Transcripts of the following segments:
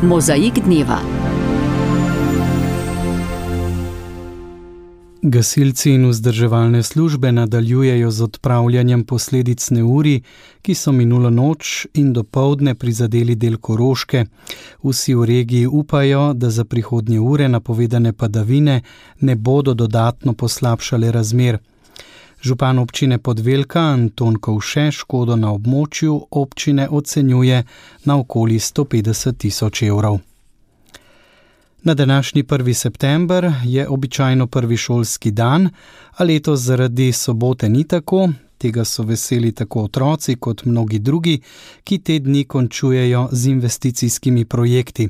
Mozaik dneva. Gasilci in vzdrževalne službe nadaljujejo z odpravljanjem posledic neurij, ki so minulo noč in dopoldne prizadeli del Koroške. Vsi v regiji upajo, da za prihodnje ure napovedane padavine ne bodo dodatno poslabšale razmer. Župan občine Podvelka Anton Kovše škodo na območju občine ocenjuje na okoli 150 000 evrov. Na današnji 1. september je običajno prvi šolski dan, a letos zaradi sobote ni tako. Tega so veseli tako otroci kot mnogi drugi, ki te dni končujejo z investicijskimi projekti.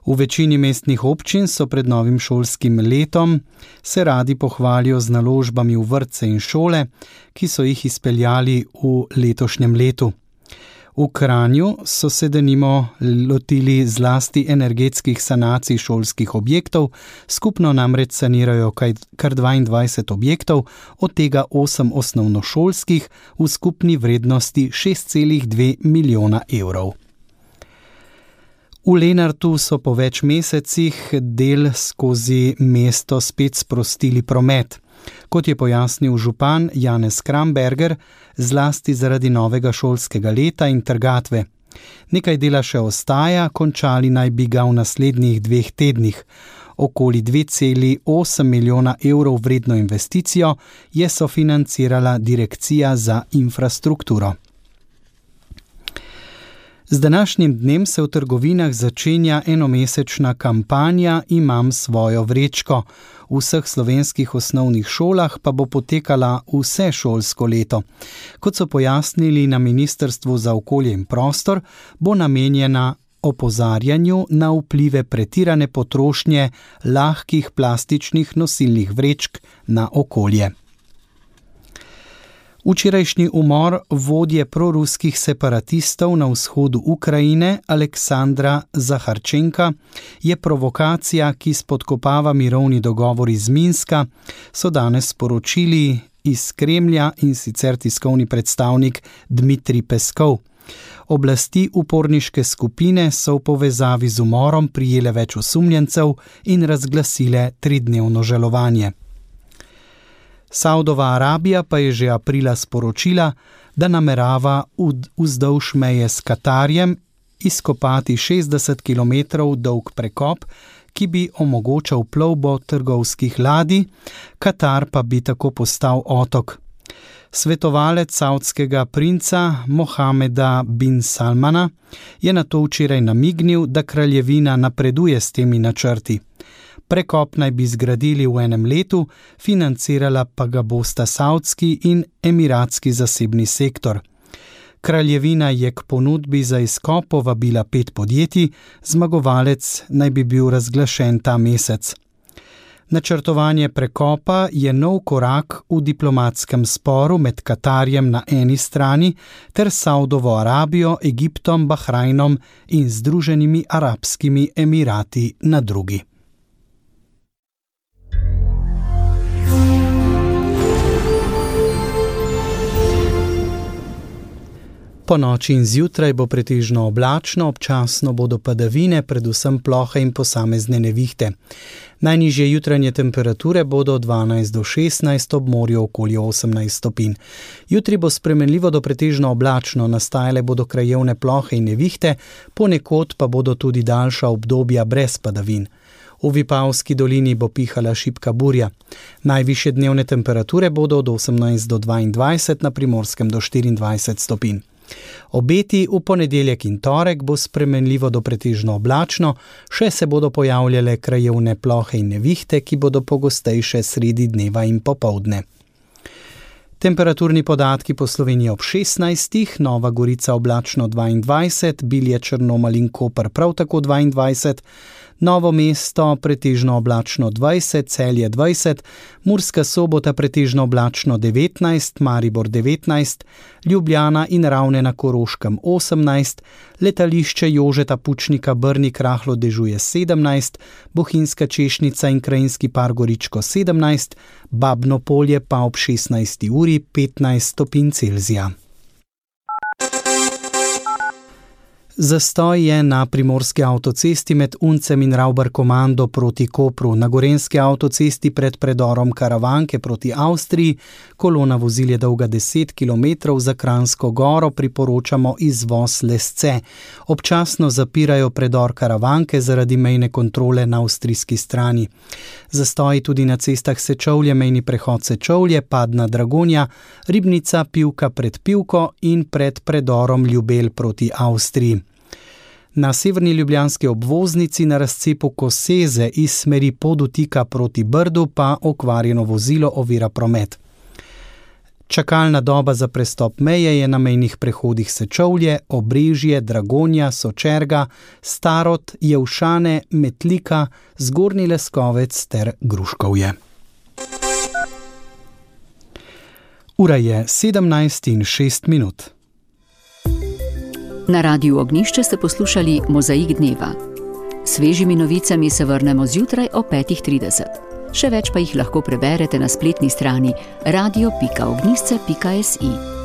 V večini mestnih občin so pred novim šolskim letom se radi pohvalijo z naložbami v vrtce in šole, ki so jih izpeljali v letošnjem letu. V Kranju so se denimo lotili zlasti energetskih sanacij šolskih objektov, skupno namreč sanirajo kar 22 objektov, od tega 8 osnovnošolskih v skupni vrednosti 6,2 milijona evrov. V Lenartu so po več mesecih del skozi mesto spet sprostili promet. Kot je pojasnil župan Janez Kramberger, zlasti zaradi novega šolskega leta in trgatve. Nekaj dela še ostaja, končali naj bi ga v naslednjih 2 tednih. Okoli 2,8 milijona evrov vredno investicijo je sofinancirala Direkcija za infrastrukturo. Z današnjim dnem se v trgovinah začenja enomesečna kampanja Imam svojo vrečko. V vseh slovenskih osnovnih šolah pa bo potekala vse šolsko leto. Kot so pojasnili na Ministrstvu za okolje in prostor, bo namenjena opozarjanju na vplive pretirane potrošnje lahkih plastičnih nosilnih vrečk na okolje. Včerajšnji umor vodje proruskih separatistov na vzhodu Ukrajine Aleksandra Zaharčenka je provokacija, ki spodkopava mirovni dogovor iz Minska, so danes sporočili iz Kremlja in sicer tiskovni predstavnik Dmitrij Peskov. Oblasti uporniške skupine so v povezavi z umorom prijele več osumljencev in razglasile 3-dnevno žalovanje. Saudova Arabija pa je že aprila sporočila, da namerava vzdolž meje s Katarjem izkopati 60 km dolg prekop, ki bi omogočal plovbo trgovskih ladij, Katar pa bi tako postal otok. Svetovalec saudskega princa Mohameda bin Salmana je nato včeraj namignil, da kraljevina napreduje s temi načrti. Prekop naj bi zgradili v enem letu, financirala pa ga bosta saudski in emiratski zasebni sektor. Kraljevina je k ponudbi za izkop povabila 5 podjetij, zmagovalec naj bi bil razglašen ta mesec. Načrtovanje prekopa je nov korak v diplomatskem sporu med Katarjem na eni strani ter Saudovo Arabijo, Egiptom, Bahrajnom in Združenimi arabskimi emirati na drugi. Po noči in zjutraj bo pretežno oblačno, občasno bodo padavine, predvsem plohe in posamezne nevihte. Najnižje jutranje temperature bodo od 12 do 16, ob morju okoli 18 stopinj. Jutri bo spremenljivo do pretežno oblačno, nastajale bodo krajevne plohe in nevihte, ponekod pa bodo tudi daljša obdobja brez padavin. V Vipavski dolini bo pihala šibka burja. Najvišje dnevne temperature bodo od 18 do 22, na Primorskem do 24 stopinj. Obeti v ponedeljek in torek bo spremenljivo do pretežno oblačno, še se bodo pojavljale krajevne plohe in nevihte, ki bodo pogostejše sredi dneva in popoldne. Temperaturni podatki po Sloveniji ob 16, Nova Gorica oblačno 22, Bilje, Črnomelj in Koper prav tako 22, Novo mesto pretežno oblačno 20, Celje 20, Murska Sobota pretežno oblačno 19, Maribor 19, Ljubljana in Ravne na Koroškem 18, letališče Jožeta Pučnika Brnik rahlo dežuje 17, Bohinjska Češnica in Krajinski par Goričko 17, Babno Polje pa ob 16. uri 15 stopinj Celzija. Zastoj je na primorski avtocesti med Uncem in Ravbarkomando proti Kopru, na gorenski avtocesti pred predorom Karavanke proti Avstriji, kolona vozil je dolga 10 km, za Kranjsko goro priporočamo izvoz Lesce. Občasno zapirajo predor Karavanke zaradi mejne kontrole na avstrijski strani. Zastoji tudi na cestah Sečovlje, mejni prehod Sečovlje, Padna Dragonja, Ribnica, Pivka pred Pivko in pred predorom Ljubelj proti Avstriji. Na severni ljubljanski obvoznici na razcepu Koseze iz smeri Podutika proti Brdu pa okvarjeno vozilo ovira promet. Čakalna doba za prestop meje je na mejnih prehodih Sečovlje, Obrežje, Dragonja, Sočerga, Starod, Jevšane, Metlika, Zgornji Leskovec ter Gruškovje. Ura je 17:06. Na Radiu Ognjišče ste poslušali Mozaik dneva. Svežimi novicami se vrnemo zjutraj o 5:30. Še več pa jih lahko preberete na spletni strani radio.ognjišče.si.